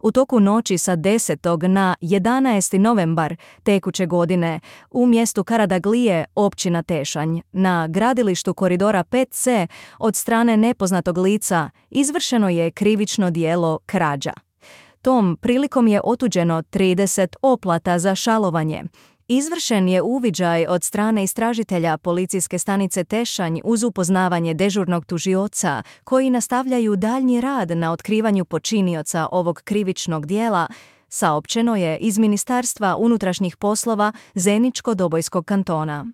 U toku noći sa 10. na 11. novembar tekuće godine u mjestu Karadaglije, općina Tešanj, na gradilištu koridora 5C od strane nepoznatog lica izvršeno je krivično djelo krađa. Tom prilikom je otuđeno 30 oplata za šalovanje. Izvršen je uviđaj od strane istražitelja policijske stanice Tešanj uz upoznavanje dežurnog tužioca koji nastavljaju daljnji rad na otkrivanju počinioca ovog krivičnog djela, saopćeno je iz Ministarstva unutrašnjih poslova Zeničko-Dobojskog kantona.